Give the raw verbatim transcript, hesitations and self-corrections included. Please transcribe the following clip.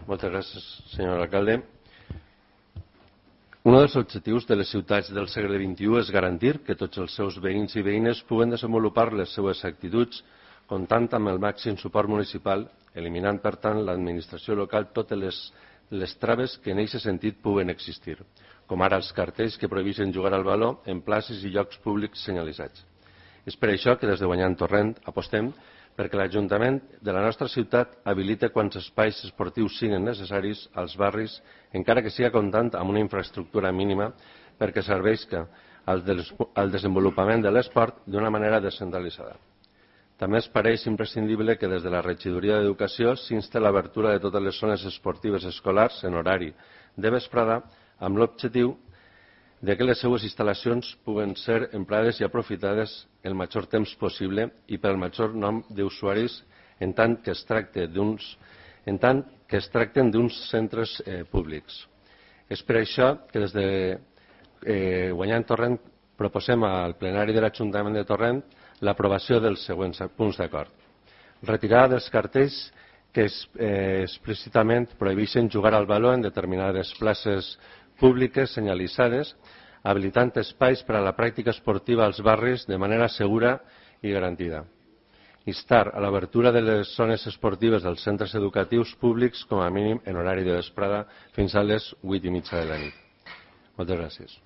Moltes gràcies, senyor alcalde. Un dels objectius de les ciutats del segle vint-i-u és garantir que tots els seus veïns i veïnes puguen desenvolupar les seues actituds comptant amb el màxim suport municipal, eliminant, per tant, l'administració local totes les, les traves que en aquest sentit puguen existir, com ara els cartells que prohibeixen jugar al baló en places i llocs públics senyalitzats. És per això que des de Guanyant Torrent apostem perquè l'Ajuntament de la nostra ciutat habilita quants espais esportius siguin necessaris als barris, encara que siga comptant amb una infraestructura mínima perquè serveixi al desenvolupament de l'esport d'una manera descentralitzada. També ens pareix imprescindible que des de la Regidoria d'Educació s'insti l'obertura de totes les zones esportives escolars en horari de vesprada amb l'objectiu de que les seues instal·lacions puguen ser emprades i aprofitades el major temps possible i pel major nombre d'usuaris en tant que es tracte d'uns en tant que es tracten d'uns centres eh, públics. És per això que des de eh, Guanyant Torrent proposem al plenari de l'Ajuntament de Torrent l'aprovació dels següents punts d'acord. Retirada dels cartells que es, eh, explícitament prohibeixen jugar al baló en determinades places públiques senyalitzades, habilitant espais per a la pràctica esportiva als barris de manera segura i garantida. Instar a l'obertura de les zones esportives dels centres educatius públics com a mínim en horari de vesprada fins a les vuit i mitja de la nit. Moltes gràcies.